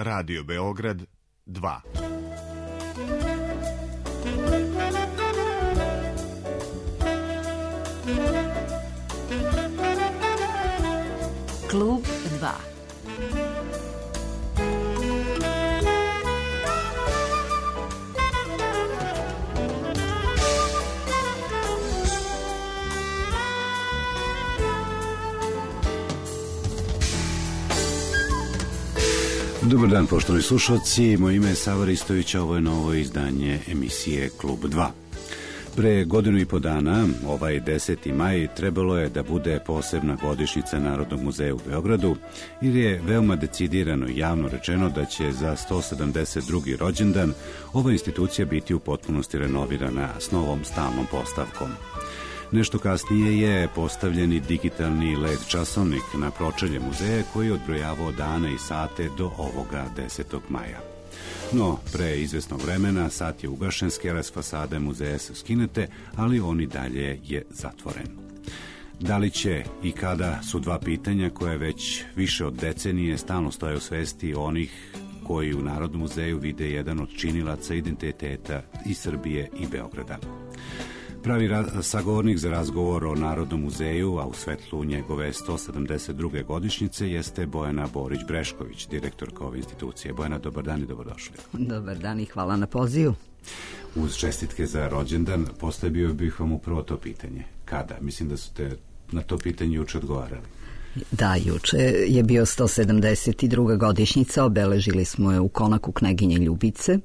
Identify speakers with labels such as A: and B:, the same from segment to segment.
A: Radio Beograd 2.
B: Klub 2.
C: Dobar dan, poštovani slušalci, moje ime je Sava Ristović, ovo je novo izdanje emisije Klub 2. Pre godinu i po dana, ovaj 10. maj, trebalo je da bude posebna godišnjica Narodnog muzeja u Beogradu, jer je veoma decidirano i javno rečeno da će za 172. rođendan ova institucija biti u potpunosti renovirana s novom stalnom postavkom. Nešto kasnije je postavljeni digitalni LED časovnik na pročelje muzeja koji je odbrojavao dane i sate do ovoga 10. maja. No, pre izvesnog vremena sat je ugašen, skela s fasade muzeja su skinete, ali on i dalje je zatvoren. Da li će i kada su dva pitanja koje već više od decenije stalno stoje u svesti onih koji u Narodnom muzeju vide jedan od činilaca identiteta i Srbije i Beograda. Pravi sagovornik za razgovor o Narodnom muzeju, a u svetlu njegove 172. godišnjice, jeste Bojana Borić-Brešković, direktorka ove institucije. Bojana, dobar dan i dobrodošli.
B: Dobar dan i hvala na pozivu.
C: Uz čestitke za rođendan postavio bih vam upravo to pitanje. Kada? Mislim da su te na to pitanje juče odgovarali.
B: Da, juče je bio 172. godišnjica, obeležili smo je u konaku Kneginje Ljubice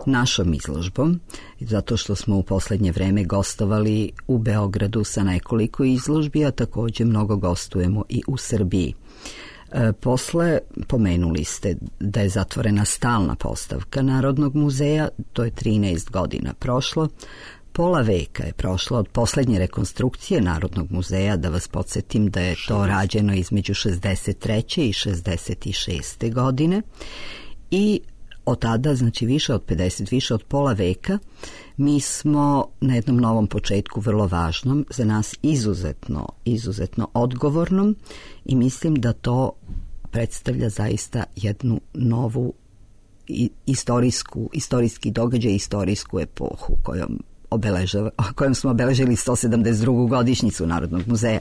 B: našom izložbom, zato što smo u poslednje vreme gostovali u Beogradu sa nekoliko izložbi, a takođe mnogo gostujemo i u Srbiji. Posle pomenuli ste da je zatvorena stalna postavka Narodnog muzeja, to je 13 godina prošlo. Pola veka je prošlo od poslednje rekonstrukcije Narodnog muzeja, da vas podsjetim da je to rađeno između 63. i 66. godine i od tada, znači više od 50, više od pola veka, mi smo na jednom novom početku, vrlo važnom, za nas izuzetno odgovornom, i mislim da to predstavlja zaista jednu novu istorijski događaj, istorijsku epohu kojom smo obeležili 172. godišnjicu Narodnog muzeja.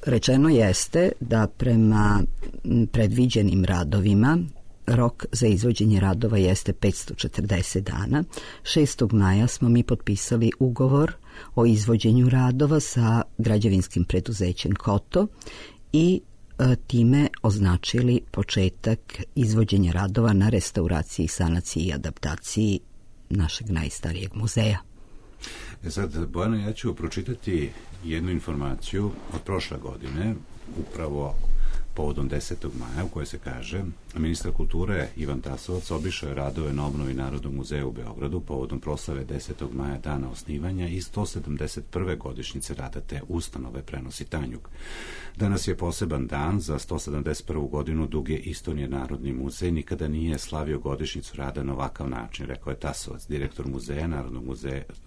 B: Rečeno jeste da prema predviđenim radovima rok za izvođenje radova jeste 540 dana. 6. maja smo mi potpisali ugovor o izvođenju radova sa građevinskim preduzećem Koto i time označili početak izvođenja radova na restauraciji, sanaciji i adaptaciji našeg najstarijeg muzeja.
C: Sad, Bojana, ja ću pročitati jednu informaciju od prošle godine, upravo povodom 10. maja, u kojoj se kaže: ministar kulture Ivan Tasovac obišao je radove na obnovi Narodnog muzeja u Beogradu povodom proslave 10. maja, dana osnivanja i 171. godišnjice rada te ustanove, prenosi Tanjug. Danas je poseban dan. Za 171. godinu duge istorije Narodni muzej nikada nije slavio godišnjicu rada na ovakav način, rekao je Tasovac.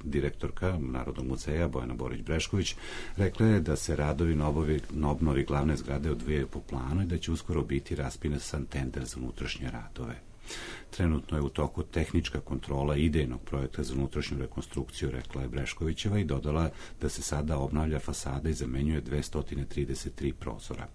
C: Direktorka Narodnog muzeja Bojana Borić-Brešković rekla je da se radovi na obnovi glavne zgrade odvijaju po planu i da će uskoro biti raspisan tender za unutrašnje radove. Trenutno je u toku tehnička kontrola idejnog projekta za unutrašnju rekonstrukciju, rekla je Breškovićeva, i dodala da se sada obnavlja fasada i zamenjuje 233 prozora.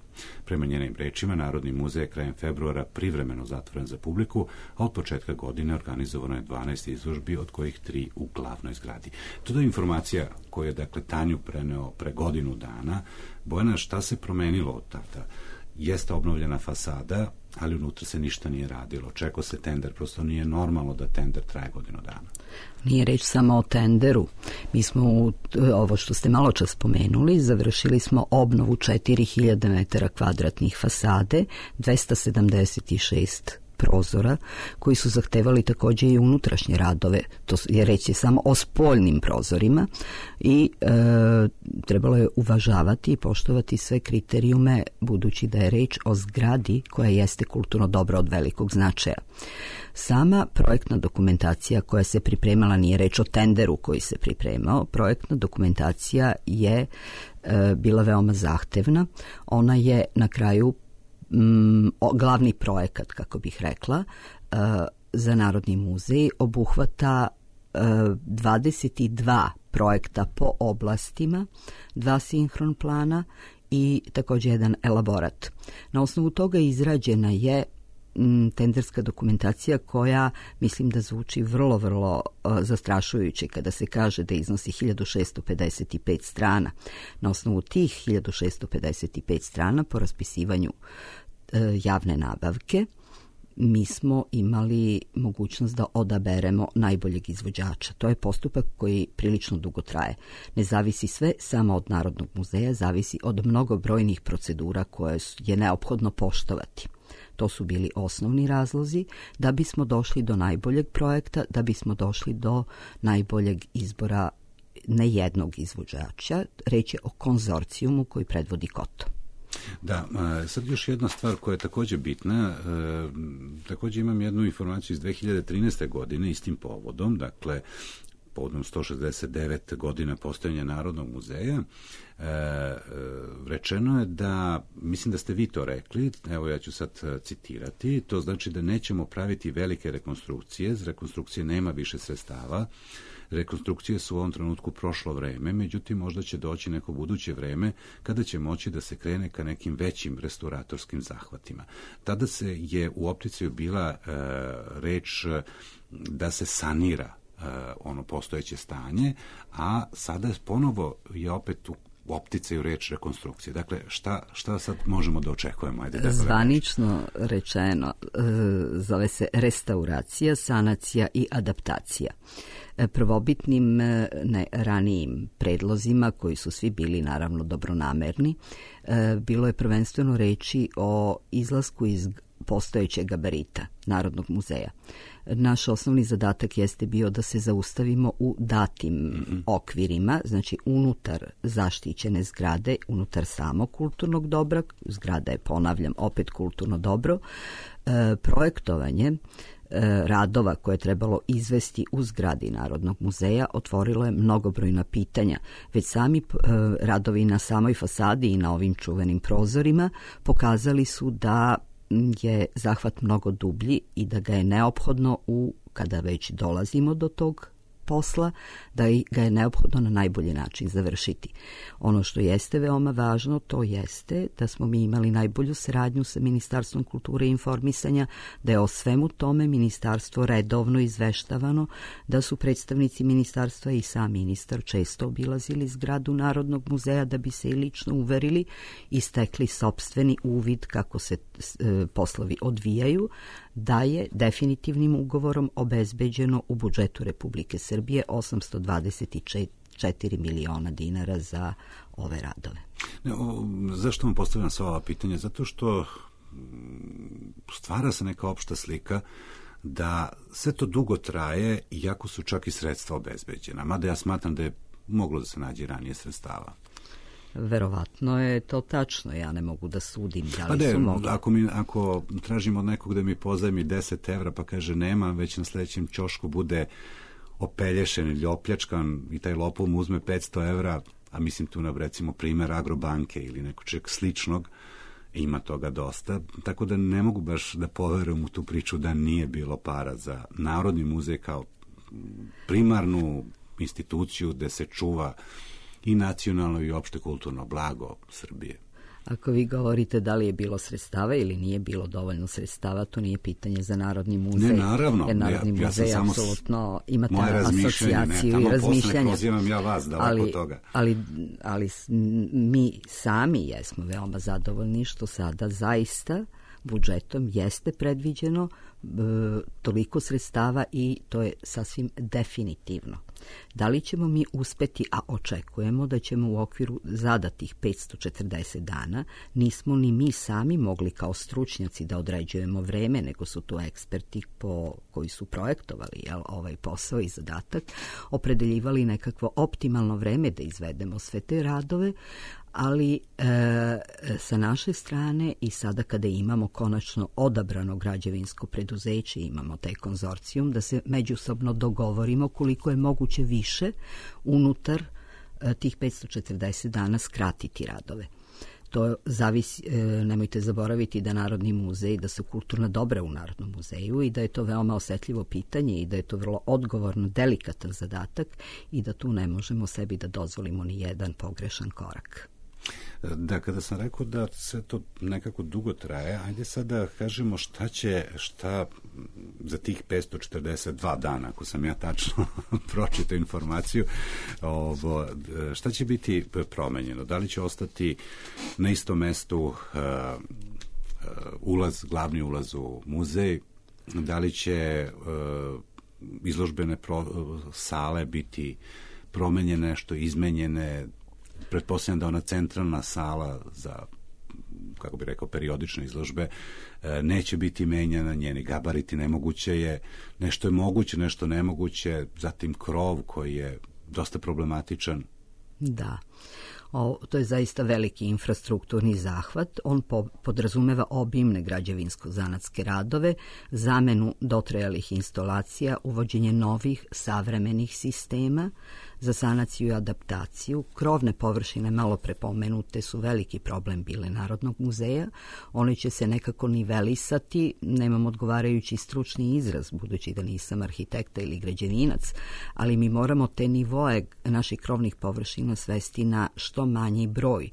C: Prema njenim rečima, Narodni muzej je krajem februara privremeno zatvoren za publiku, a od početka godine organizovano je 12 izložbi, od kojih 3 u glavnoj zgradi. To je informacija koju je, dakle, Tanju preneo pre godinu dana. Bojana, šta se promenilo od tada? Jeste obnovljena fasada, ali unutra se ništa nije radilo. Čekao se tender, prosto nije normalno da tender traje godinu dana.
B: Nije reč samo o tenderu. Mi smo, ovo što ste malo čas spomenuli, završili smo obnovu 4000 metara kvadratnih fasade, 276 prozora koji su zahtevali takođe i unutrašnje radove, to je reći samo o spoljnim prozorima, i trebalo je uvažavati i poštovati sve kriterijume, budući da je reč o zgradi koja jeste kulturno dobro od velikog značaja. Sama projektna dokumentacija koja se pripremala, nije reč o tenderu koji se pripremao, projektna dokumentacija je bila veoma zahtevna. Ona je na kraju glavni projekat, kako bih rekla, za Narodni muzej obuhvata 22 projekta po oblastima, 2 sinhron plana i također jedan elaborat. Na osnovu toga izrađena je tenderska dokumentacija koja mislim da zvuči vrlo, vrlo zastrašujuće kada se kaže da iznosi 1655 strana. Na osnovu tih 1655 strana po raspisivanju javne nabavke mi smo imali mogućnost da odaberemo najboljeg izvođača. To je postupak koji prilično dugo traje. Ne zavisi sve samo od Narodnog muzeja, zavisi od mnogobrojnih procedura koje je neophodno poštovati. To su bili osnovni razlozi da bismo došli do najboljeg projekta, da bismo došli do najboljeg izbora ne jednog izvođača. Reč je o konzorcijumu koji predvodi Koto.
C: Da, sad još jedna stvar koja je također bitna, također imam jednu informaciju iz 2013. godine istim povodom, dakle povodom 169 godina postojanja Narodnog muzeja, rečeno je da, mislim da ste vi to rekli, evo ja ću sad citirati, to znači da nećemo praviti velike rekonstrukcije, za rekonstrukcije nema više sredstava, rekonstrukcije su u ovom trenutku prošlo vreme, međutim možda će doći neko buduće vreme kada će moći da se krene ka nekim većim restauratorskim zahvatima. Tada se je u opticaju bila reč da se sanira ono postojeće stanje, a sada ponovo je opet u opticaju reč rekonstrukcije. Dakle, šta sad možemo da očekujemo?
B: Zvanično rečeno, zove se restauracija, sanacija i adaptacija. Prvobitnim ranijim predlozima, koji su svi bili naravno dobronamerni, bilo je prvenstveno reči o izlasku iz postojećeg gabarita Narodnog muzeja. Naš osnovni zadatak jeste bio da se zaustavimo u datim okvirima, znači unutar zaštićene zgrade, unutar samog kulturnog dobra, zgrada je, ponavljam, opet kulturno dobro, projektovanje radova koje je trebalo izvesti u zgradi Narodnog muzeja otvorilo je mnogobrojna pitanja. Već sami radovi na samoj fasadi i na ovim čuvenim prozorima pokazali su da je zahvat mnogo dublji i da ga je neophodno kada već dolazimo do tog posla, da ga je neophodno na najbolji način završiti. Ono što jeste veoma važno, to jeste da smo mi imali najbolju saradnju sa Ministarstvom kulture i informisanja, da je o svemu tome ministarstvo redovno izveštavano, da su predstavnici ministarstva i sam ministar često obilazili zgradu Narodnog muzeja da bi se i lično uverili i stekli sopstveni uvid kako se poslovi odvijaju, da je definitivnim ugovorom obezbeđeno u budžetu Republike Srbije 824 miliona dinara za ove radove.
C: Zašto vam postavljam sva ova pitanja? Zato što stvara se neka opšta slika da sve to dugo traje, iako su čak i sredstva obezbeđena. Mada ja smatram da je moglo da se nađe ranije sredstava.
B: Verovatno je to tačno, ja ne mogu da sudim da li su mogli.
C: Ako tražim od nekog da mi pozajmi 10 evra pa kaže nema, već na sljedećem ćošku bude opelješen ili opljačkan i taj lopov mu uzme 500 evra, a mislim tu na recimo primjer Agrobanke ili nekog čeg sličnog, ima toga dosta, tako da ne mogu baš da poverujem u tu priču da nije bilo para za Narodni muzej kao primarnu instituciju gde se čuva i nacionalno i opšte kulturno blago Srbije.
B: Ako vi govorite da li je bilo sredstava ili nije bilo dovoljno sredstava, to nije pitanje za Narodni muzej.
C: Ne, naravno.
B: Jer Narodni muzej apsolutno ima asocijaciju i razmišljanja.
C: Pozivam ja vas daleko od toga.
B: Ali mi sami jesmo veoma zadovoljni što sada zaista budžetom jeste predviđeno toliko sredstava i to je sasvim definitivno. Da li ćemo mi uspeti, a očekujemo da ćemo u okviru zadatih 540 dana, nismo ni mi sami mogli kao stručnjaci da određujemo vreme, nego su to eksperti koji su projektovali ovaj posao i zadatak, opredeljivali nekakvo optimalno vreme da izvedemo sve te radove, ali sa naše strane i sada kada imamo konačno odabrano građevinsko preduzeće, imamo taj konzorcijum, da se međusobno dogovorimo koliko je moguće više unutar tih 540 dana skratiti radove. To zavisi, nemojte zaboraviti da Narodni muzej, da su kulturna dobra u Narodnom muzeju i da je to veoma osetljivo pitanje i da je to vrlo odgovorno, delikatan zadatak i da tu ne možemo sebi da dozvolimo ni jedan pogrešan korak.
C: Da, kada sam rekao da sve to nekako dugo traje, ajde sad da kažemo šta za tih 542 dana, ako sam ja tačno pročitao informaciju, šta će biti promenjeno? Da li će ostati na istom mestu glavni ulaz u muzej? Da li će izložbene sale biti promenjene, što izmenjene? Pretpostavljam da ona centralna sala za, kako bi rekao, periodične izložbe neće biti menjana, njeni gabariti, nemoguće je, nešto je moguće, nešto nemoguće, zatim krov koji je dosta problematičan.
B: Da. To je zaista veliki infrastrukturni zahvat. On podrazumeva obimne građevinsko-zanatske radove, zamenu dotrajalih instalacija, uvođenje novih savremenih sistema za sanaciju i adaptaciju. Krovne površine, malo prepomenute, su veliki problem bile Narodnog muzeja. One će se nekako nivelisati, nemam odgovarajući stručni izraz, budući da nisam arhitekta ili građevinac, ali mi moramo te nivoe naših krovnih površina svesti na što manji broj.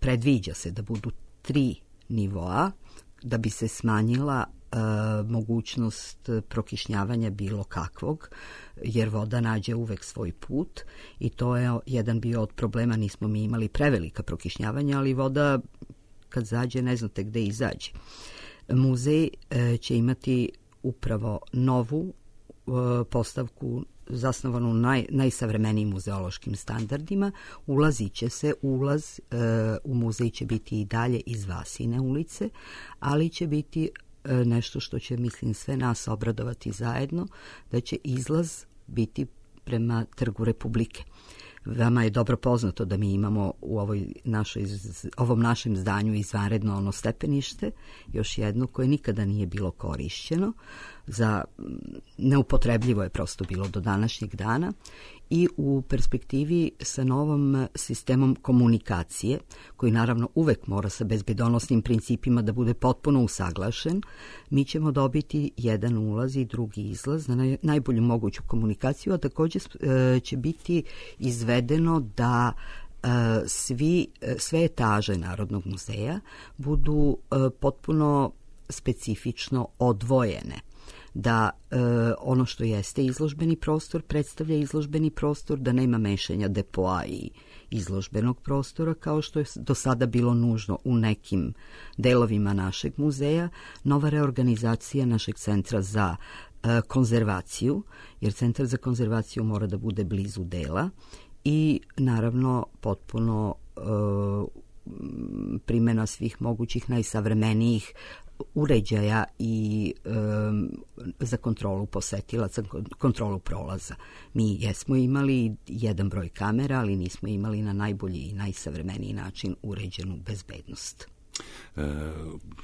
B: Predviđa se da budu 3 nivoa da bi se smanjila mogućnost prokišnjavanja bilo kakvog, jer voda nađe uvek svoj put i to je jedan bio od problema. Nismo mi imali prevelika prokišnjavanja, ali voda kad zađe ne znate gde izađe. Muzej će imati upravo novu postavku zasnovanu najsavremenijim muzeološkim standardima. Ulaz u muzej će biti i dalje iz Vasine ulice, ali će biti nešto što će, mislim, sve nas obradovati zajedno, da će izlaz biti prema Trgu Republike. Vama je dobro poznato da mi imamo u ovom našem zdanju izvanredno ono stepenište, još jedno koje nikada nije bilo korišćeno, neupotrebljivo je prosto bilo do današnjeg dana i u perspektivi sa novom sistemom komunikacije, koji naravno uvek mora sa bezbedonosnim principima da bude potpuno usaglašen, mi ćemo dobiti jedan ulaz i drugi izlaz na najbolju moguću komunikaciju, a također će biti izvedeno da sve etaže Narodnog muzeja budu potpuno specifično odvojene, da ono što jeste izložbeni prostor predstavlja izložbeni prostor, da nema mešanja depoa i izložbenog prostora kao što je do sada bilo nužno u nekim delovima našeg muzeja. Nova reorganizacija našeg centra za konzervaciju, jer centar za konzervaciju mora da bude blizu dela i naravno potpuno primjena svih mogućih najsavremenijih uređaja i za kontrolu posetilaca, kontrolu prolaza. Mi jesmo imali jedan broj kamera, ali nismo imali na najbolji i najsavremeniji način uređenu bezbednost.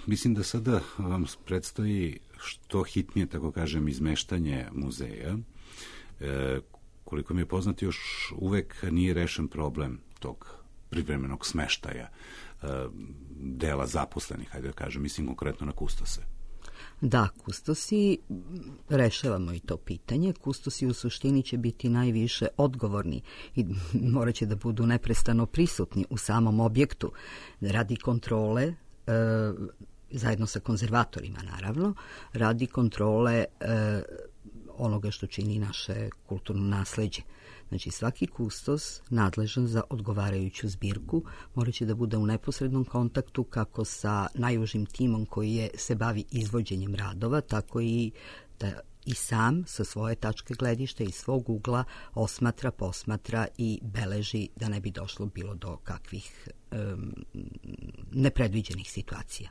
C: Mislim da sada vam predstoji što hitnije, tako kažem, izmeštanje muzeja. Koliko mi je poznato, još uvek nije rešen problem tog privremenog smeštaja dela zaposlenih, hajde da kažem, mislim konkretno na kustose.
B: Da, kustosi, rešavamo i to pitanje. Kustosi u suštini će biti najviše odgovorni i morat će da budu neprestano prisutni u samom objektu radi kontrole, zajedno sa konzervatorima naravno, radi kontrole onoga što čini naše kulturno nasleđe. Znači, svaki kustos nadležan za odgovarajuću zbirku morat će da bude u neposrednom kontaktu kako sa najužim timom koji se bavi izvođenjem radova, tako i da i sam sa svoje tačke gledišta i svog ugla posmatra i beleži da ne bi došlo bilo do kakvih nepredviđenih situacija.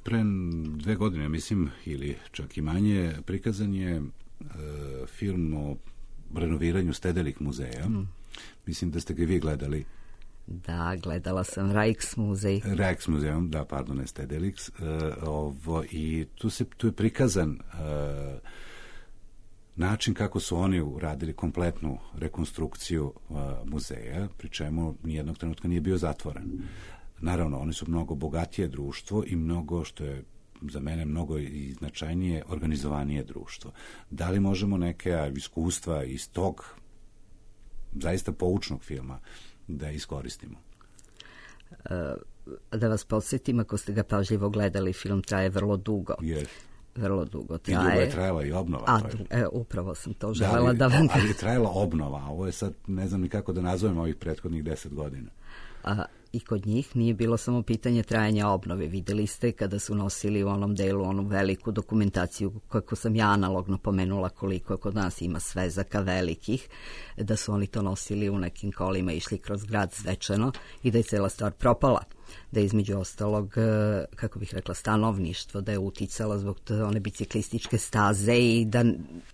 C: Pre 2 godine, mislim, ili čak i manje, prikazan je film o renoviranju Stedelik muzeja. Mislim da ste ga vi gledali.
B: Da, gledala sam Rijksmuzeum.
C: Da, pardon, ne Stedelix. I tu je prikazan način kako su oni uradili kompletnu rekonstrukciju muzeja, pri čemu nijednog trenutka nije bio zatvoren. Naravno, oni su mnogo bogatije društvo i mnogo, što je za mene mnogo i značajnije, organizovanije društvo. Da li možemo neke iskustva iz tog zaista poučnog filma da iskoristimo?
B: Da vas podsjetim, ako ste ga pažljivo gledali, film traje vrlo dugo.
C: Yes.
B: Vrlo dugo
C: traje. I dugo je trajala i obnova.
B: Upravo sam to želela da vam...
C: Ali je trajala obnova, a ovo je sad, ne znam ni kako da nazovem ovih prethodnih 10 godina.
B: I kod njih nije bilo samo pitanje trajanja obnove. Videli ste kada su nosili u onom delu onu veliku dokumentaciju, kako sam ja analogno pomenula koliko kod nas ima svezaka velikih, da su oni to nosili u nekim kolima, išli kroz grad svečano i da je cela stvar propala. Da je između ostalog, kako bih rekla, stanovništvo, da je uticalo zbog one biciklističke staze i da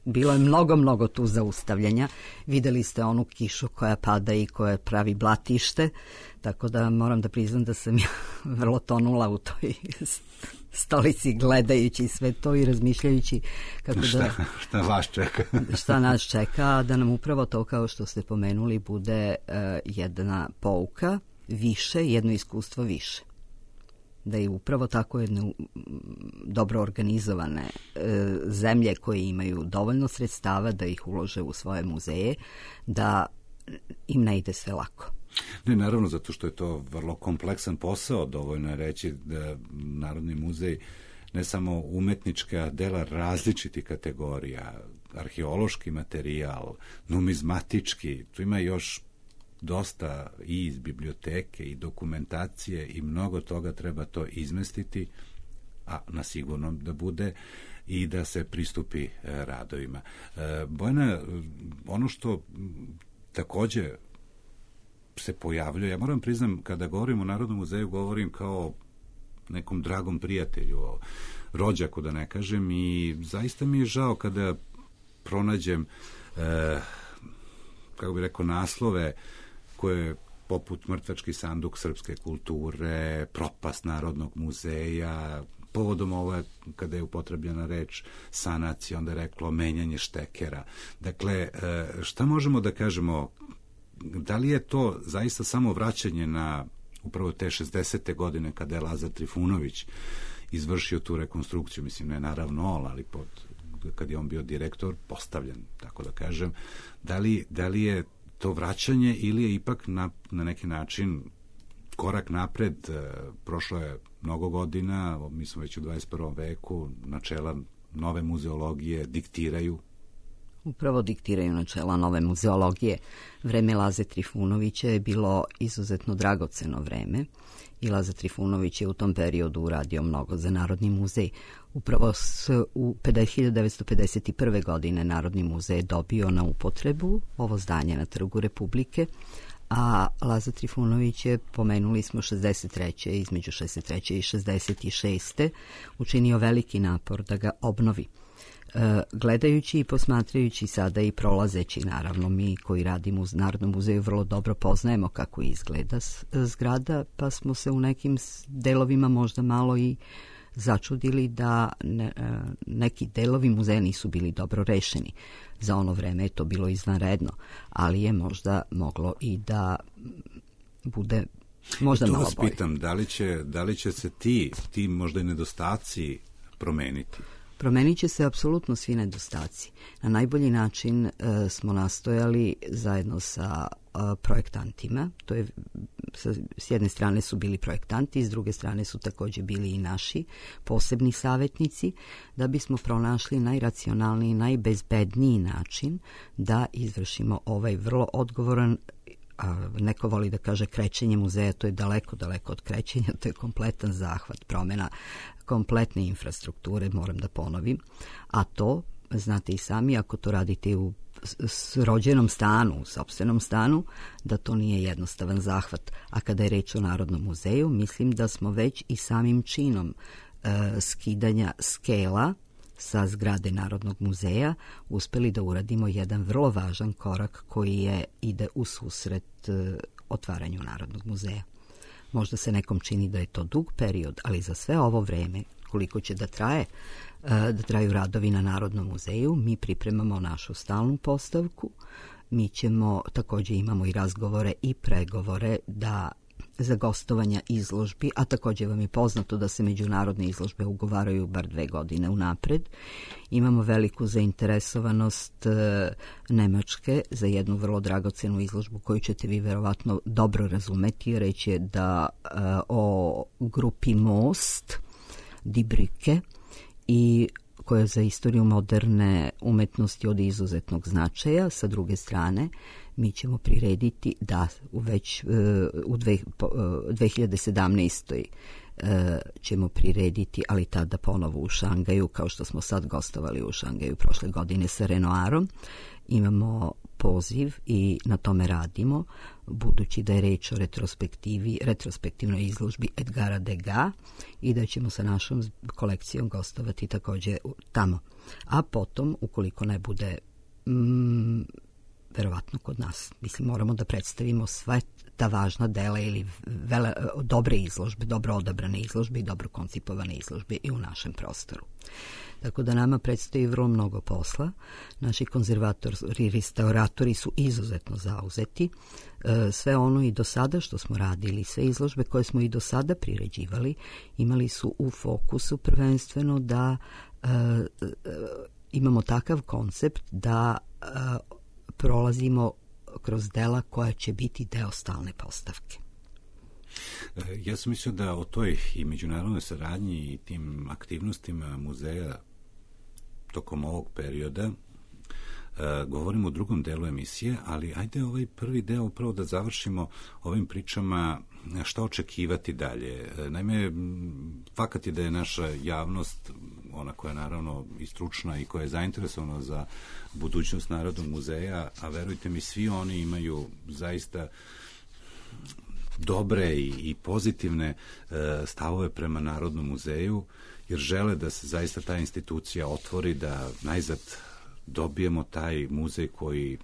B: bilo je mnogo tu zaustavljanja. Videli ste onu kišu koja pada i koja pravi blatište, tako da moram da priznam da sam ja vrlo tonula u toj stolici gledajući sve to i razmišljajući kako
C: šta vas čeka.
B: Šta nas čeka, da nam upravo to, kao što ste pomenuli, bude jedna pouka više, jedno iskustvo više. Da je upravo tako jedne dobro organizovane zemlje koje imaju dovoljno sredstava da ih ulože u svoje muzeje, da im ne ide sve lako.
C: Ne, naravno, zato što je to vrlo kompleksan posao. Dovoljno je reći da Narodni muzej ne samo umetnička dela različitih kategorija, arheološki materijal, numizmatički, tu ima još dosta i iz biblioteke i dokumentacije i mnogo toga treba to izmestiti, a na sigurno da bude i da se pristupi radovima. Bojana, ono što takođe se pojavljuje, ja moram priznam, kada govorim o Narodnom muzeju, govorim kao nekom dragom prijatelju, rođaku da ne kažem, i zaista mi je žao kada pronađem kako bih rekao, naslove koje poput Mrtvački sanduk srpske kulture, propast Narodnog muzeja, povodom ove, kada je upotrebljena reč sanacija, onda je reklo menjanje štekera. Dakle, šta možemo da kažemo, da li je to zaista samo vraćanje na upravo te 60. godine kada je Lazar Trifunović izvršio tu rekonstrukciju, mislim ne naravno, ali kad je on bio direktor, postavljen, tako da kažem, da li je to vraćanje ili je ipak na neki način korak napred? Prošlo je mnogo godina, mi smo već u 21. veku, načela nove muzeologije diktiraju.
B: Upravo diktiraju načela nove muzeologije. Vreme Laze Trifunovića je bilo izuzetno dragoceno vreme i Laza Trifunović je u tom periodu uradio mnogo za Narodni muzej. Upravo u 1951. godine Narodni muzej je dobio na upotrebu ovo zdanje na Trgu Republike, a Laza Trifunović je, pomenuli smo, 63. između 63. i 66. učinio veliki napor da ga obnovi. Gledajući i posmatrajući sada i prolazeći, naravno mi koji radimo u Narodnom muzeju vrlo dobro poznajemo kako izgleda zgrada, pa smo se u nekim delovima možda malo i začudili da neki delovi muzeja nisu bili dobro rešeni. Za ono vreme je to bilo izvanredno, ali je možda moglo i da bude možda malo bolje.
C: Tu vas pitam, da li će se ti možda i nedostaci promeniti?
B: Promenit će se apsolutno svi nedostaci. Na najbolji način smo nastojali zajedno sa projektantima, to je s jedne strane su bili projektanti, s druge strane su također bili i naši posebni savjetnici, da bismo pronašli najracionalniji, najbezbedniji način da izvršimo ovaj vrlo odgovoran, neko voli da kaže krećenje muzeja, to je daleko od krećenja, to je kompletan zahvat, promjena kompletne infrastrukture, moram da ponovim, a to, znate i sami, ako to radite u rođenom stanu, u sopstvenom stanu, da to nije jednostavan zahvat. A kada je reč o Narodnom muzeju, mislim da smo već i samim činom skidanja skela sa zgrade Narodnog muzeja uspeli da uradimo jedan vrlo važan korak koji ide u susret otvaranju Narodnog muzeja. Možda se nekom čini da je to dug period, ali za sve ovo vreme koliko će da traju radovi na Narodnom muzeju. Mi pripremamo našu stalnu postavku. Mi ćemo, takođe imamo i razgovore i pregovore za gostovanja izložbi, a takođe vam je poznato da se međunarodne izložbe ugovaraju bar 2 godine unapred. Imamo veliku zainteresovanost Nemačke za jednu vrlo dragocenu izložbu koju ćete vi verovatno dobro razumeti. Reč je o grupi Most, Die Brücke, i koja je za istoriju moderne umetnosti od izuzetnog značaja. Sa druge strane, mi ćemo prirediti da već u 2017. ćemo prirediti, ali tada ponovo u Šangaju, kao što smo sad gostovali u Šangaju prošle godine sa Renoirom. Imamo poziv i na tome radimo, budući da je reč o retrospektivnoj izložbi Edgara Degas i da ćemo sa našom kolekcijom gostovati takođe tamo. A potom, ukoliko ne bude verovatno kod nas, mislim, moramo da predstavimo sve ta važna dela ili dobre izložbe, dobro odabrane izložbe i dobro koncipovane izložbe i u našem prostoru. Tako da nama predstoji vrlo mnogo posla. Naši konzervatori i restauratori su izuzetno zauzeti. Sve ono i do sada što smo radili, sve izložbe koje smo i do sada priređivali, imali su u fokusu prvenstveno da imamo takav koncept da prolazimo kroz dela koja će biti deo stalne postavke.
C: Ja sam mislio da o toj i međunarodnoj saradnji i tim aktivnostima muzeja tokom ovog perioda govorimo u drugom delu emisije, ali ajde ovaj prvi deo upravo da završimo ovim pričama šta očekivati dalje. Naime, fakat je da je naša javnost, ona koja je naravno i stručna i koja je zainteresovana za budućnost Narodnog muzeja, a verujte mi, svi oni imaju zaista dobre i pozitivne stavove prema Narodnom muzeju, jer žele da se zaista ta institucija otvori, da najzad dobijemo taj muzej koji,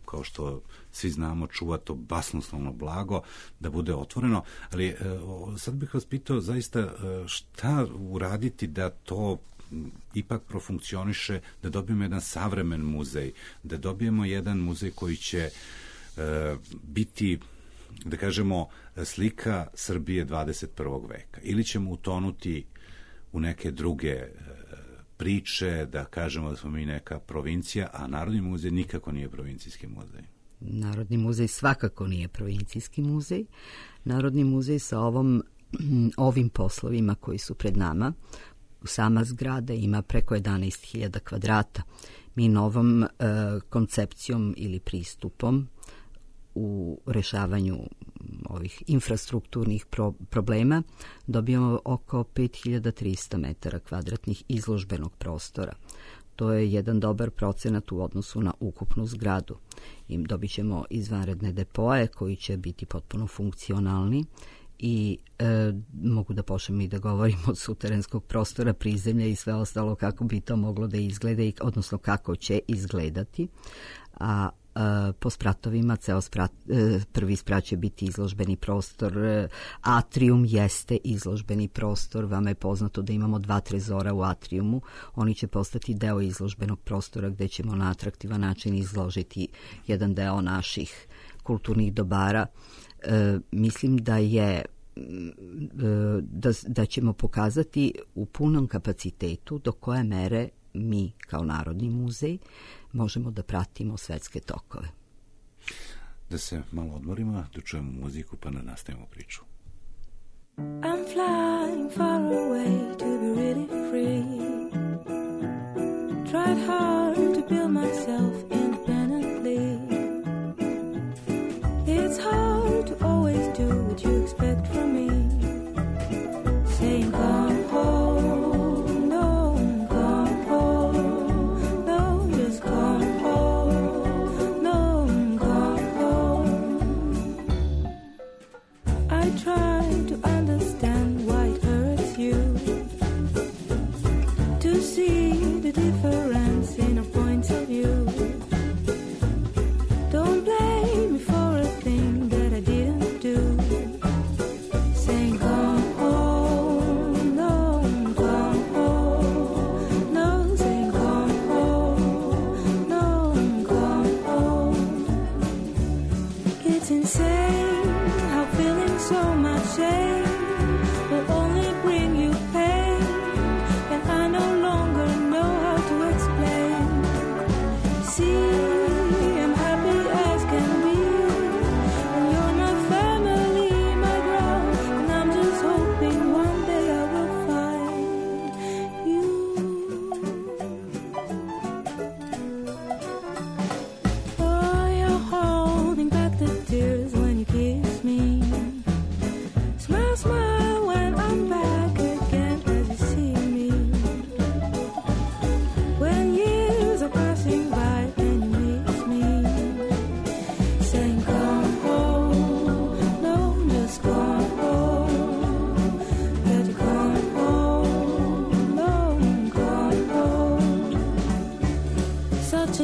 C: kao što svi znamo, čuva to basnoslovno blago, da bude otvoreno. Ali sad bih vas pitao zaista šta uraditi da to ipak profunkcioniše, da dobijemo jedan savremen muzej, da dobijemo jedan muzej koji će biti, da kažemo, slika Srbije 21. veka. Ili ćemo utonuti u neke druge priče, da kažemo da smo mi neka provincija, a Narodni muzej nikako nije provincijski muzej.
B: Narodni muzej svakako nije provincijski muzej. Narodni muzej sa ovim poslovima koji su pred nama, sama zgrada ima preko 11.000 kvadrata. Mi novom koncepcijom ili pristupom u rešavanju ovih infrastrukturnih problema dobijamo oko 5300 metara kvadratnih izložbenog prostora. To je jedan dobar procenat u odnosu na ukupnu zgradu. I dobit ćemo izvanredne depoje koji će biti potpuno funkcionalni i mogu da počnem i da govorim od suterenskog prostora, prizemlja i sve ostalo kako bi to moglo da izgleda, odnosno kako će izgledati. A po spratovima prvi sprat će biti izložbeni prostor. Atrium jeste izložbeni prostor. Vama je poznato da imamo 2 trezora u atriumu. Oni će postati deo izložbenog prostora gde ćemo na atraktivan način izložiti jedan deo naših kulturnih dobara. Mislim da ćemo pokazati u punom kapacitetu do koje mere mi kao Narodni muzej možemo da pratimo svetske tokove.
C: Da se malo odmorimo, da čujemo muziku pa da nastavimo priču.
D: I'm flying far away to be really free. Tried hard to build myself independently. It's hard to always do what you expect from me. Saying come home, no, come home, no, just come home, no, come home. I try to understand why it hurts you.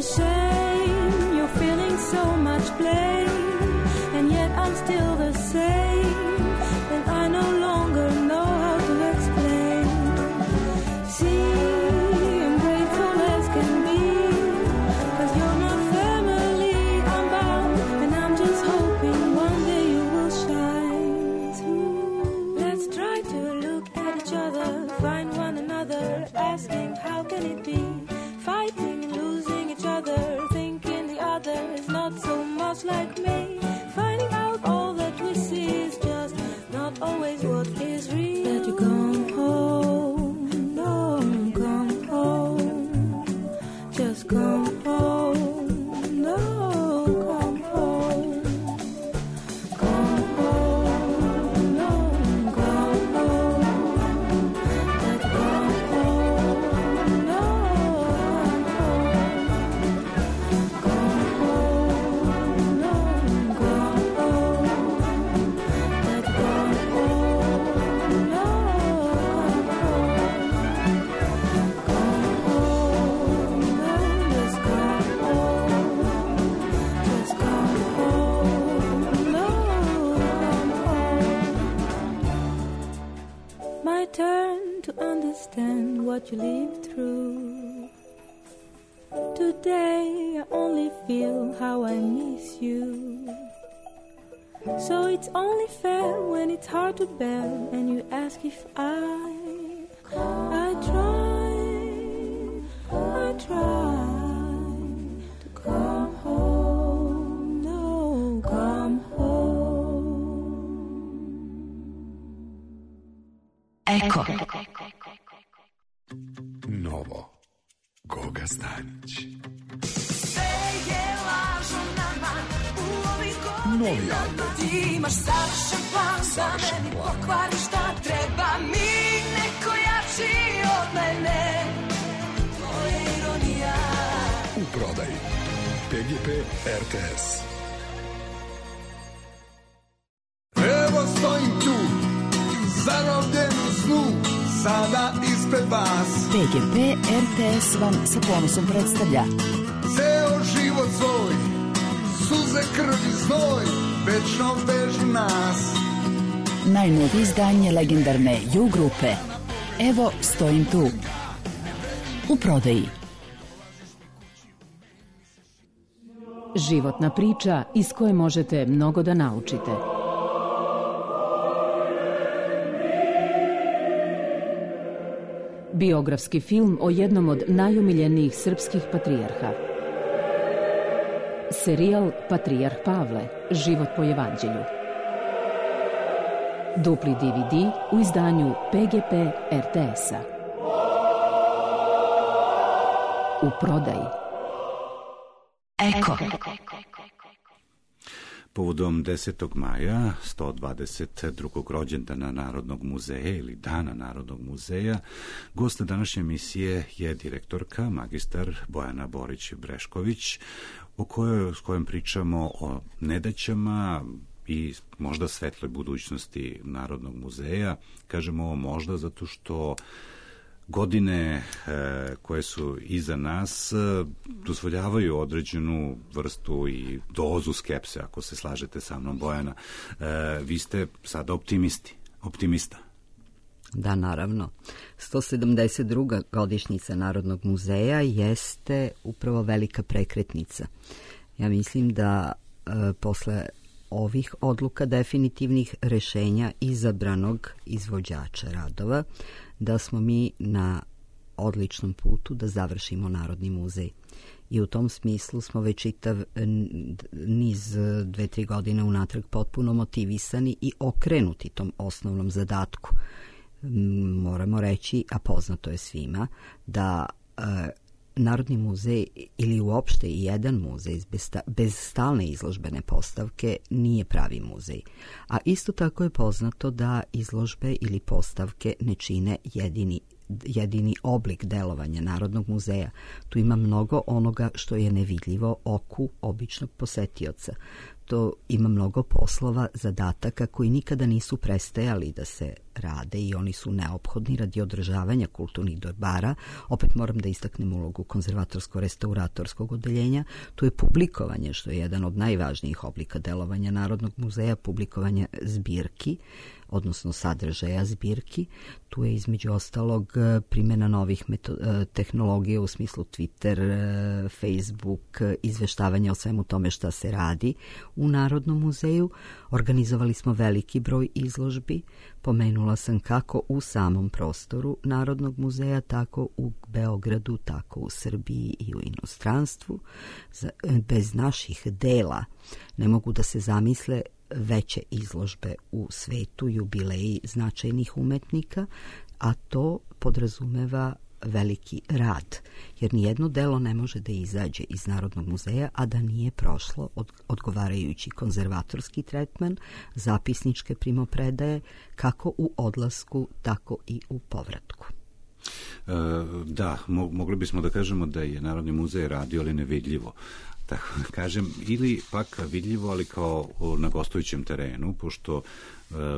D: a shame you're feeling so much blame, and yet I'm still the same, and I no longer know how to explain. See, I'm grateful as can be, 'cause you're my family, I'm bound, and I'm just hoping one day you will shine through. Let's try to look at each other, find one another, asking how can it be, fighting and losing each other, thinking the other is not so much like me, finding out all that we see is just not always what is real. That you come home, don't come home, just come home, no, come home, come home, no, come home, that come home, no, come home, no, come home, that come home, no, come home, no, just come home, just come home, no, come home. My turn to understand what you lived through. Today I only feel how I miss you. So it's only fair when it's hard to bear, and you ask if I try to come home, no, come home.
E: Eko.
F: Novo. Goga Stanić. Novi album.
E: Ti imaš savršen plan da meni pokvariš šta treba mi, neko jači od mene. To je ironija.
F: U prodaji. PGP RTS.
G: Evo stojim tu, zarobljen u snu, sada ispred vas.
H: PGP RTS vam sa ponosom predstavlja
G: Ceo život svoj, suze, krv i znoj, večno vežu nas.
H: najnovije izdanje legendarne You grupe Evo stojim tu. U prodaji.
I: Životna priča iz koje možete mnogo da naučite. Biografski film o jednom od najomiljenijih srpskih patrijarha. Serijal Patrijarh Pavle, život po evanđelju. Dupli DVD u izdanju PGP RTS-a. U prodaji.
E: Eko.
C: Povodom 10. maja, 122. rođendana Narodnog muzeja ili Dana Narodnog muzeja, gost današnje emisije je direktorka, magistar Bojana Borić-Brešković, s kojom pričamo o nedaćama i možda svetloj budućnosti Narodnog muzeja. Kažemo ovo možda zato što godine koje su iza nas dozvoljavaju određenu vrstu i dozu skepse, ako se slažete sa mnom, Bojana. Vi ste sada optimista.
B: Da, naravno. 172. godišnjica Narodnog muzeja jeste upravo velika prekretnica. Ja mislim da posle ovih odluka definitivnih rešenja izabranog izvođača radova, da smo mi na odličnom putu da završimo Narodni muzej. I u tom smislu smo već čitav niz 2-3 godine unatrag potpuno motivisani i okrenuti tom osnovnom zadatku. Moramo reći, a poznato je svima, da Narodni muzej ili uopšte i jedan muzej bez stalne izložbene postavke nije pravi muzej. A isto tako je poznato da izložbe ili postavke ne čine jedini oblik delovanja Narodnog muzeja. Tu ima mnogo onoga što je nevidljivo oku običnog posetioca. zato ima mnogo poslova, zadataka koji nikada nisu prestajali da se rade i oni su neophodni radi održavanja kulturnih dobara. Opet moram da istaknem ulogu konzervatorsko-restauratorskog odeljenja. Tu je publikovanje, što je jedan od najvažnijih oblika delovanja Narodnog muzeja, publikovanje zbirki, odnosno sadržaja zbirki. Tu je između ostalog primjena novih tehnologija u smislu Twitter, Facebook, izveštavanja o svemu tome šta se radi u Narodnom muzeju. Organizovali smo veliki broj izložbi. Pomenula sam kako u samom prostoru Narodnog muzeja, tako u Beogradu, tako u Srbiji i u inostranstvu. Bez naših dela ne mogu da se zamisle veće izložbe u svetu, jubileji značajnih umetnika, a to podrazumeva veliki rad, jer nijedno delo ne može da izađe iz Narodnog muzeja, a da nije prošlo odgovarajući konzervatorski tretman, zapisničke primopredaje, kako u odlasku, tako i u povratku.
C: Da, mogli bismo da kažemo da je Narodni muzej radio, ali nevidljivo, tako da kažem, ili pak vidljivo, ali kao na gostujućem terenu, pošto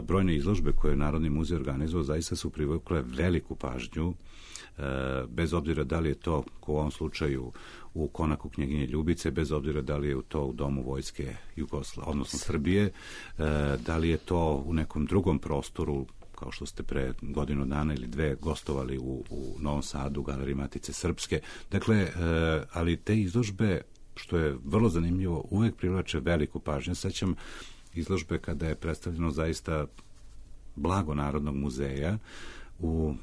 C: brojne izložbe koje je Narodni muzej organizovao zaista su privukle veliku pažnju, bez obzira da li je to u ovom slučaju u konaku knjeginje Ljubice, bez obzira da li je to u Domu vojske odnosno Srbije, da li je to u nekom drugom prostoru, kao što ste pre godinu dana ili dve gostovali u Novom Sadu, u Galeriji Matice Srpske. Dakle, ali te izložbe, što je vrlo zanimljivo, uvek privlače veliku pažnju. Sećam izložbe kada je predstavljeno zaista blago Narodnog muzeja u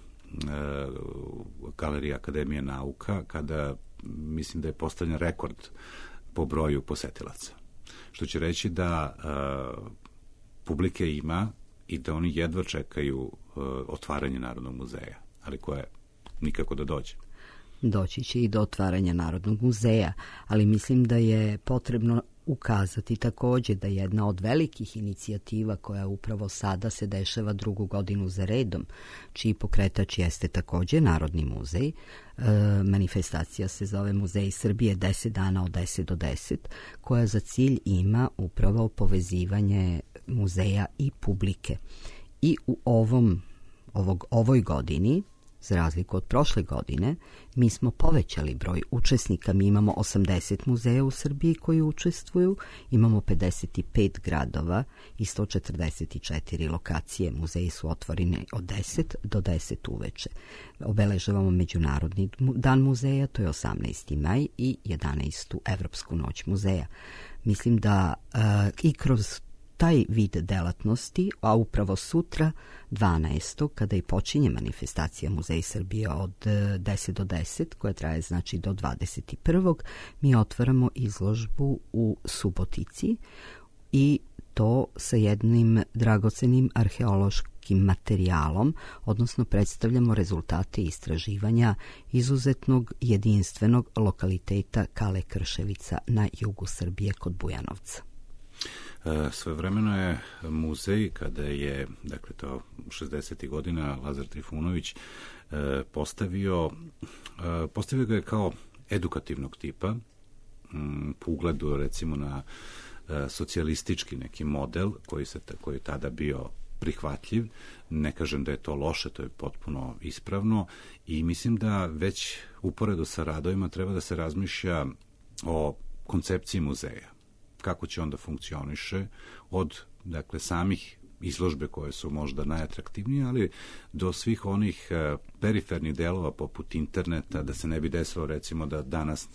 C: Galeriji Akademije nauka, kada mislim da je postavljen rekord po broju posetilaca. Što će reći da publike ima i da oni jedva čekaju otvaranje Narodnog muzeja, ali koje nikako da dođe.
B: Doći će i do otvaranja Narodnog muzeja, ali mislim da je potrebno ukazati takođe da jedna od velikih inicijativa koja upravo sada se dešava drugu godinu za redom, čiji pokretač jeste takođe Narodni muzej. Manifestacija se zove Muzej Srbije 10 dana od 10 do 10, koja za cilj ima upravo povezivanje muzeja i publike. I u ovoj godini, za razliku od prošle godine, mi smo povećali broj učesnika. Mi imamo 80 muzeja u Srbiji koji učestvuju, imamo 55 gradova i 144 lokacije. Muzeji su otvoreni od 10 do 10 uveče. Obeležavamo Međunarodni dan muzeja, to je 18. maj, i 11. Evropsku noć muzeja. Mislim da i kroz taj vid delatnosti, a upravo sutra 12. kada i počinje manifestacija Muzej Srbije od 10 do 10, koja traje znači do 21. mi otvaramo izložbu u Subotici i to sa jednim dragocenim arheološkim materijalom, odnosno predstavljamo rezultate istraživanja izuzetnog jedinstvenog lokaliteta Kale Krševica na jugu Srbije kod Bujanovca.
C: Svojevremeno je muzej, kada je, dakle to 60. godina, Lazar Trifunović postavio ga je kao edukativnog tipa, po ugledu recimo na socijalistički neki model koji je tada bio prihvatljiv. Ne kažem da je to loše, to je potpuno ispravno i mislim da već uporedo sa radovima treba da se razmišlja o koncepciji muzeja. Kako će onda funkcioniše od, dakle, samih izložbe koje su možda najatraktivnije, ali do svih onih perifernih delova poput interneta, da se ne bi desilo recimo da danas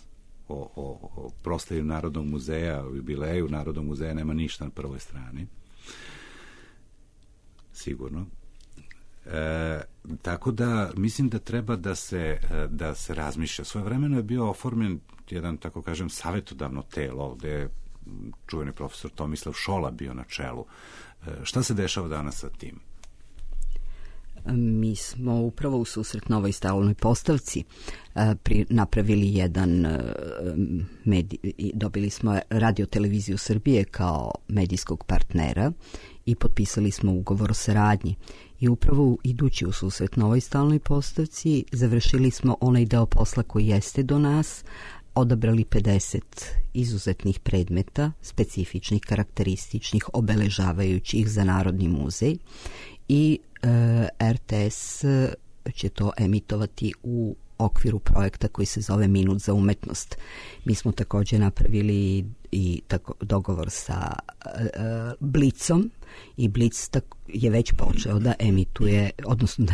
C: o proslavi Narodnog muzeja, o jubileju Narodnog muzeja nema ništa na prvoj strani. Sigurno. Tako da mislim da treba da se razmišlja. Svojevremeno je bio oformljen jedan, tako kažem, savetodavno telo, gde je čuveni profesor Tomislav Šola bio na čelu. Šta se dešava danas sa tim?
B: Mi smo upravo u susret novoj stalnoj postavci napravili jedan dobili smo Radio Televiziju Srbije kao medijskog partnera i potpisali smo ugovor o saradnji. I upravo idući u susret novoj stalnoj postavci završili smo onaj deo posla koji jeste do nas, odabrali 50 izuzetnih predmeta, specifičnih, karakterističnih, obeležavajućih za Narodni muzej i RTS će to emitovati u okviru projekta koji se zove Minut za umetnost. Mi smo također napravili i dogovor sa Blitzom i Blitz je već počeo da emituje, odnosno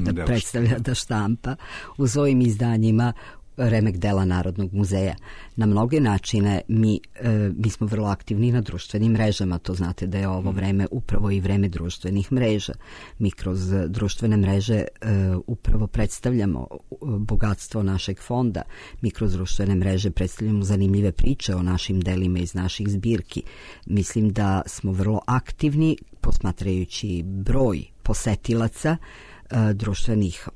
B: da predstavlja, da štampa u svojim izdanjima remek dela Narodnog muzeja. Na mnoge načine mi smo vrlo aktivni na društvenim mrežama, to znate da je ovo vreme upravo i vreme društvenih mreža. Mi kroz društvene mreže upravo predstavljamo bogatstvo našeg fonda, mi kroz društvene mreže predstavljamo zanimljive priče o našim delima iz naših zbirki. Mislim da smo vrlo aktivni posmatrajući broj posetilaca društvenih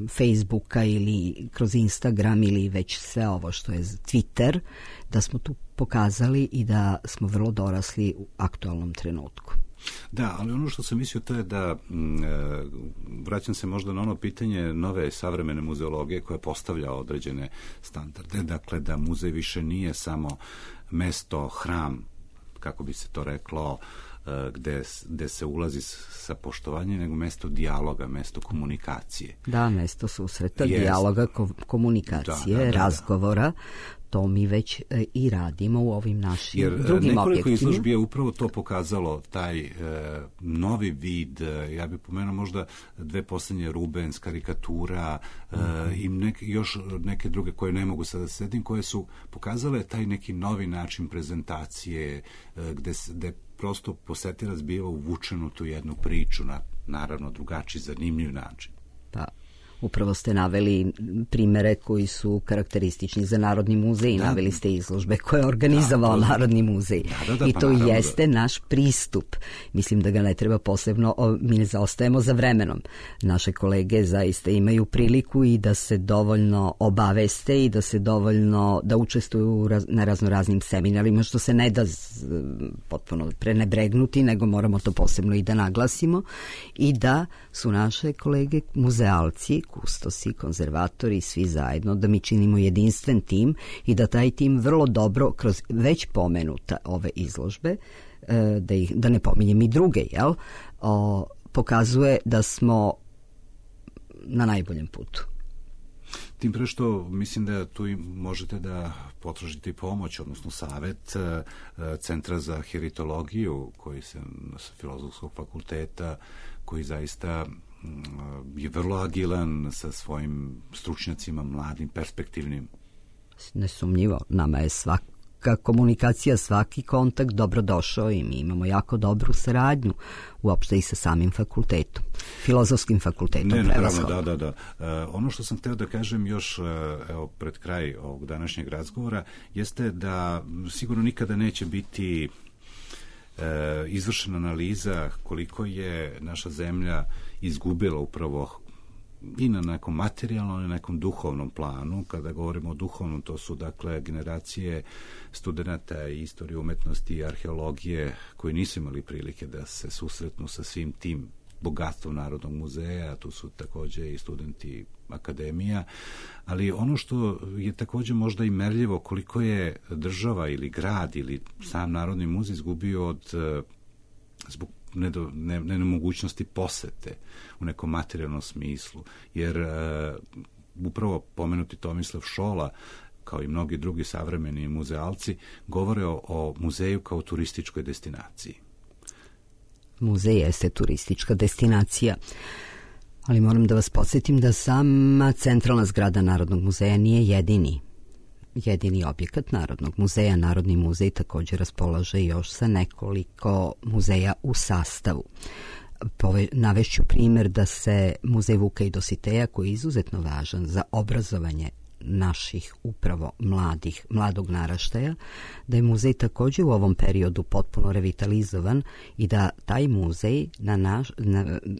B: Facebooka ili kroz Instagram ili već sve ovo što je Twitter, da smo tu pokazali i da smo vrlo dorasli u aktualnom trenutku.
C: Da, ali ono što sam mislio to je da vraćam se možda na ono pitanje nove savremene muzeologije koja postavlja određene standarde, dakle da muzej više nije samo hram, kako bi se to reklo, gde se ulazi sa poštovanjem, nego mesto dijaloga, mesto komunikacije.
B: Da, mesto susreta, dijaloga, komunikacije, razgovora. To mi već i radimo u ovim našim drugim objektima. Jer
C: nekoliko izložbi je upravo to pokazalo, taj novi vid, ja bih pomenuo možda dve posljednje Rubens, karikatura i još neke druge koje ne mogu sada sedim, koje su pokazale taj neki novi način prezentacije, gde prosto posetilac biva uvučen u tu jednu priču na naravno drugačiji, zanimljiv način.
B: Pa, upravo ste naveli primere koji su karakteristični za Narodni muzej, naveli ste izložbe koje je organizovao Narodni muzej. I to jeste naš pristup. Mislim da ga ne treba posebno, mi ne zaostajemo za vremenom. Naše kolege zaista imaju priliku i da se dovoljno obaveste i da se dovoljno, da učestvuju na raznoraznim seminarima, što se ne da potpuno prenebregnuti, nego moramo to posebno i da naglasimo, i da su naše kolege muzealci, kustosi, konzervatori, svi zajedno, da mi činimo jedinstven tim i da taj tim vrlo dobro kroz već pomenuta ove izložbe, da ne pominjem i druge, pokazuje da smo na najboljem putu.
C: Tim pre što mislim da tu možete da potražite pomoć, odnosno savet Centra za heritologiju koji se sa Filozofskog fakulteta, koji zaista je vrlo agilan sa svojim stručnjacima, mladim, perspektivnim.
B: Nesumnjivo, nama je svaka komunikacija, svaki kontakt dobrodošao i mi imamo jako dobru saradnju uopšte i sa samim fakultetom, Filozofskim fakultetom.
C: Naravno, da. Ono što sam hteo da kažem još pred kraj ovog današnjeg razgovora jeste da sigurno nikada neće biti izvršena analiza koliko je naša zemlja izgubila upravo i na nekom materijalnom i na nekom duhovnom planu. Kada govorimo o duhovnom, to su dakle generacije studenata istorije umetnosti i arheologije koji nisu imali prilike da se susretnu sa svim tim bogatstvom Narodnog muzeja, tu su također i studenti akademija, ali ono što je također možda i merljivo koliko je država ili grad ili sam Narodni muzej izgubio zbog nemogućnosti posete u nekom materijalnom smislu, jer upravo pomenuti Tomislav Šola kao i mnogi drugi savremeni muzealci govore o muzeju kao turističkoj destinaciji.
B: Muzej jeste turistička destinacija, ali moram da vas podsjetim da sama centralna zgrada Narodnog muzeja nije jedini objekat Narodnog muzeja. Narodni muzej također raspolaže još sa nekoliko muzeja u sastavu. Navešću primjer da se muzej Vuka i Dositeja, koji je izuzetno važan za obrazovanje naših upravo mladog naraštaja, da je muzej također u ovom periodu potpuno revitalizovan i da taj muzej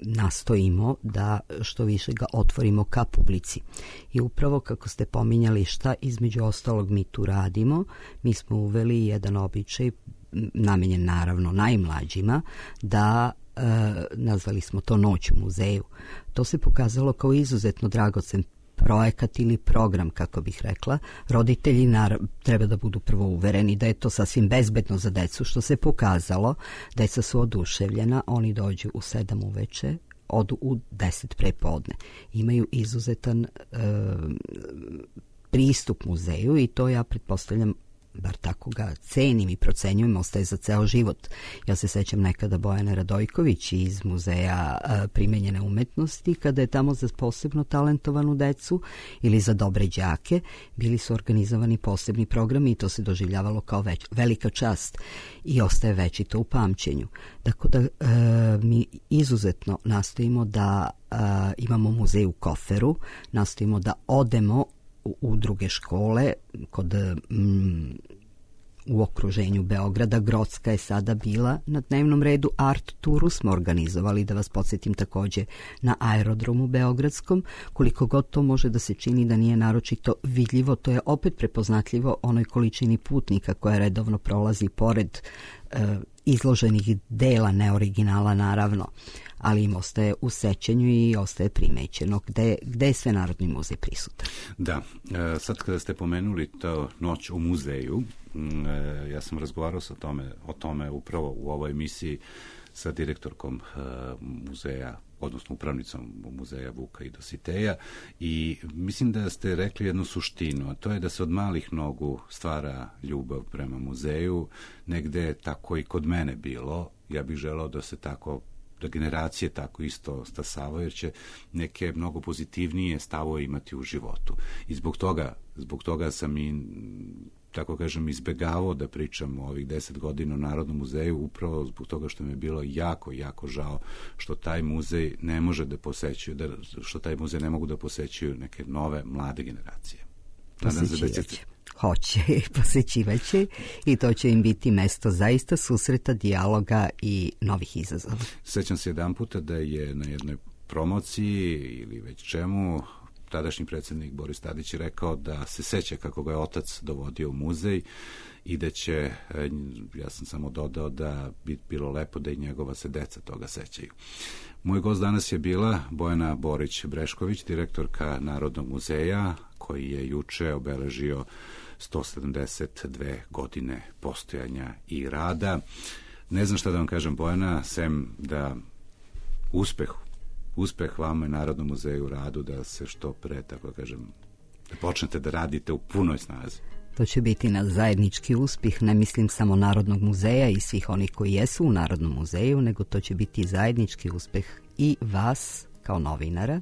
B: nastojimo da što više ga otvorimo ka publici. I upravo kako ste pominjali šta između ostalog mi tu radimo, mi smo uveli jedan običaj namenjen naravno najmlađima, da nazvali smo to Noć u muzeju. To se pokazalo kao izuzetno dragocen projekat ili program, kako bih rekla, roditelji treba da budu prvo uvereni da je to sasvim bezbedno za decu, što se pokazalo. Deca su oduševljena, oni dođu u 7 uveče, odu u 10 prepodne. Imaju izuzetan pristup muzeju i to ja pretpostavljam, bar tako ga cenim i procenjujem, ostaje za ceo život. Ja se sećam nekada Bojane Radojković iz Muzeja primenjene umetnosti, kada je tamo za posebno talentovanu decu ili za dobre đake bili su organizovani posebni programi i to se doživljavalo kao velika čast i ostaje večito u pamćenju. Tako da mi izuzetno nastojimo da imamo muzej u Koferu, nastojimo da odemo u druge škole u okruženju Beograda. Grocka je sada bila na dnevnom redu. Art turu smo organizovali, da vas podsjetim, takođe na aerodromu beogradskom. Koliko god to može da se čini da nije naročito vidljivo, to je opet prepoznatljivo onoj količini putnika koja redovno prolazi pored izloženih dela, neoriginala naravno, ali im ostaje u sećanju i ostaje primećeno gde je sve Narodni muzej prisutan.
C: Da, sad kada ste pomenuli to Noć u muzeju, ja sam razgovarao o tome upravo u ovoj emisiji sa direktorkom muzeja, odnosno upravnicom muzeja Vuka i Dositeja, i mislim da ste rekli jednu suštinu, a to je da se od malih nogu stvara ljubav prema muzeju. Negde je tako i kod mene bilo. Ja bih želeo da se tako, da generacije tako isto stasavaju, jer će neke mnogo pozitivnije stavove imati u životu. I zbog toga sam i, tako kažem, izbegavao da pričam o ovih 10 godina u Narodnom muzeju, upravo zbog toga što mi je bilo jako, jako žao što taj muzej ne može da posećuju, što taj muzej ne mogu da posećuju neke nove, mlade generacije.
B: Hoće, posećivaće i to će im biti mesto zaista susreta, dijaloga i novih izazova.
C: Sećam se jedan puta da je na jednoj promociji ili već čemu tadašnji predsjednik Boris Tadić je rekao da se seća kako ga je otac dovodio u muzej i da će, ja sam samo dodao da bi bilo lepo da i njegova se deca toga sećaju. Moj gost danas je bila Bojana Borić-Brešković, direktorka Narodnog muzeja, koji je juče obeležio 172 godine postojanja i rada. Ne znam šta da vam kažem, Bojana, sem da uspeh vama i Narodnom muzeju u radu, da se što pre, tako kažem, da počnete da radite u punoj snazi.
B: To će biti naš zajednički uspjeh, ne mislim samo Narodnog muzeja i svih onih koji jesu u Narodnom muzeju, nego to će biti zajednički uspjeh i vas kao novinara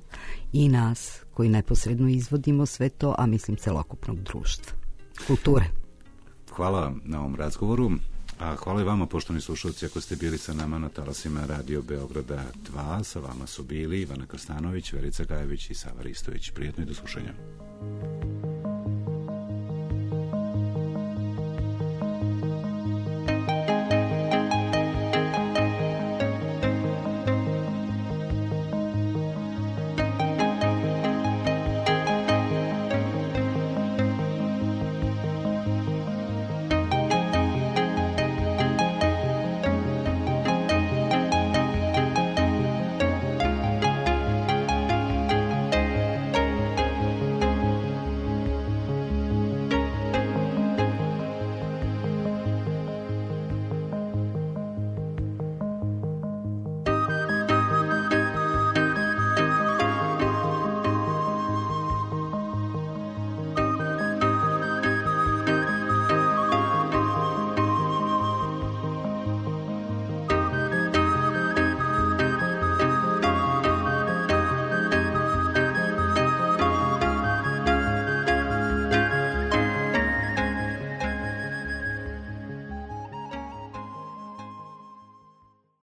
B: i nas koji neposredno izvodimo sve to, a mislim celokupnog društva, kulture.
C: Hvala vam na ovom razgovoru. A hvala i vama, poštovani slušalci, ako ste bili sa nama na talasima Radio Beograda 2. Sa vama su bili Ivana Krstanović, Verica Gajević i Sava Ristović. Prijetno i do slušanja.